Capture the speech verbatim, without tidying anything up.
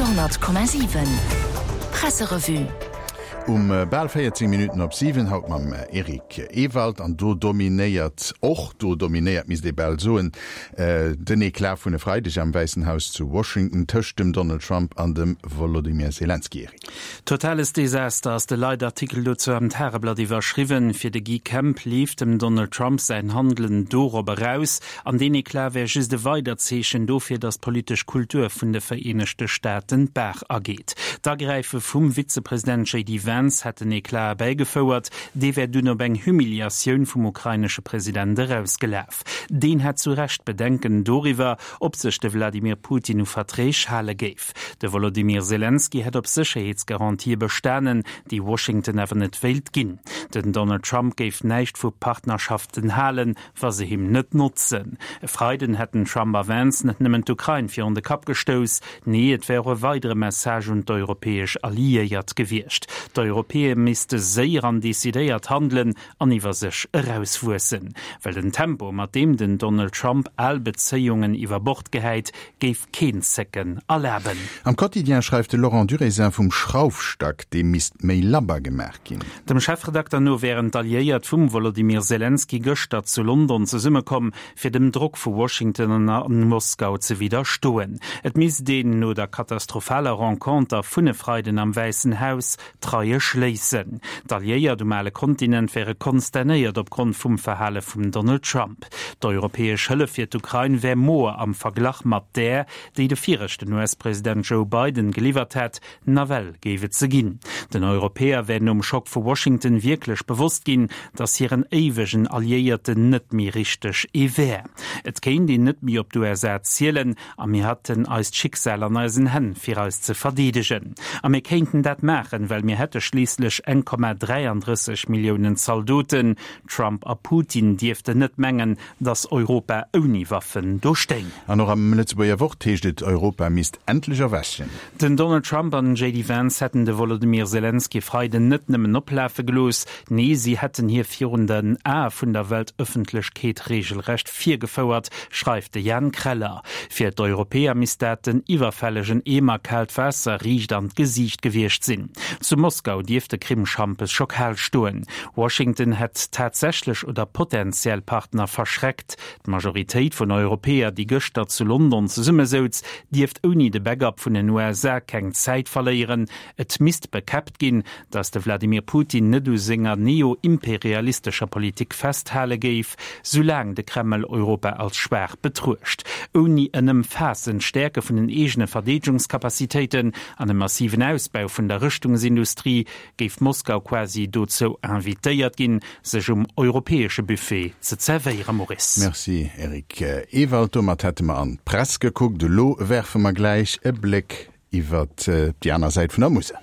honnert Komma siwen Presserevue. Um bal véierzéng Minutten op siwen haut mam Eric Ewald an do dominéiert, och do dominéiert misst ee bal soen, den Eclat vun e Freideg am Wäissen Haus zu Washington tëscht dem Donald Trump an dem Wolodymyr Selenskyj. Eric. Totales Desaster ass de Leitartikel dozou am Tageblatt iwwerschriwwen. Fir de Guy Kemp leeft dem Donald Trump säin Handelen dorop eraus, an deen Eclat wär just e weidert Zeechen dofir, datt d'politesch Kultur vun de Vereenegte Staaten d'Baach ageet. D'Agräife vum Vizepresident J D Vance hätt den Eclat erbäigefouert, dee wär dunn op eng Humiliatioun vum ukrainesche President erausgelaf. Deen hätt zu Recht Bedenken doriwwer, ob sech de Wladimir Putin u Verträg hale géif. De Wolodymyr Selenskyj hätt op Sécherheetsgarantië bestanen, déi Washington awer net wéilt ginn. Den Donald Trump géif näischt vu Partnerschaften halen, wa se him net notzen. E Freiden hätten Trump a Vance net nëmmen d'Ukrain virun de Kapp gestouss, nee et wär och e weidere Message un d'europäesch Alliéiert gewiescht. D'Europäer misste séier an decidéiert handelen an iwwer sech erauswuessen. Well den Tempo, mat deem den Donald Trump al Bezéiungen iwwer Bord gehäit, géif keen Zécken erlaben. Am Quotidien schreift de Laurent Durézin vum Schraufstack, dee misst méi labber gemaach ginn. Dem Chefredakter no wären d'Alliéiert vum Wolodymyr Selenskyj gëschter zu London zesummekomm, fir dem Drock vu Washington a Moskau ze widderstoen. Et misst een no der katastrophaler Renconter vun e Freiden am Wäissen Haus d'Reie schléissen. D'Alliéiert um ale Kontinent wäre konsternéiert opgrond vum Verhale vum Donald Trump. D'europäesch Hëllef fir d'Ukrain wär moer am Verglach mat där, déi de viregten U S-President Joe Biden geliwwert hätt, nawell géif et se ginn. Den Europäer wär nom Schock vu Washington wierklech bewosst ginn, datt hiren éiwegen Alliéierten net méi richteg ee wär. Et kéint een net méi op d'U S A zielen a mir hätten eist Schicksal an eisen Hänn fir eis ze verdeedegen. A mir kéinten dat maachen, well mir hätte schliisslech eng Komma dräiandrësseg Milliounen Zaldoten. Trump a Putin dierften net mengen, datt Europa ouni Waffen do stéing. An och am Lëtzebuerger Wort heescht et, Europa misst endlech erwächen. Den Donald Trump an den J D Vance hätten de Wolodymyr Selenskyj e Freiden net nëmmen oplafe gelooss, nee si hätten hie virun den Ae vun der Weltëffentlechkeet reegelrecht virgefouert, schreift de Jan Kreller. Fir d'Europäer misst dat den iwwerfällegen Eemer kaalt Waasser riicht an d'Gesiicht gewiescht sinn. Zu Moskau dierft de Krimschampes scho kal stoen. Washington hätt tatsächlech oder potentiell Partner verschreckt. D'Majoritéit vun Europäer, déi gëschter zu London zesummesouz, dierft ouni de Backup vun den U S A keng Zäit verléieren. Et misst bekäppt ginn, datt de Wladimir Putin net u senger neo-imperialistescher Politik festhale géif, soulaang de Kreml Europa als schwaach betruecht. Ouni en ëmfaassend Stäerke vun den eegene Verdeedegungscapacitéiten an e massiven Ausbau vun der Rëschtungsindustrie géif Moskau quasi dozou invitéiert ginn, sech um europäesche Buffet ze zerwéieren. Maurice. Merci Eric Ewald. Domat hätte mer an d'Press gekuckt. Elo werfe mer gläich e Bléck iwwer déi aner Säit vun der Musel.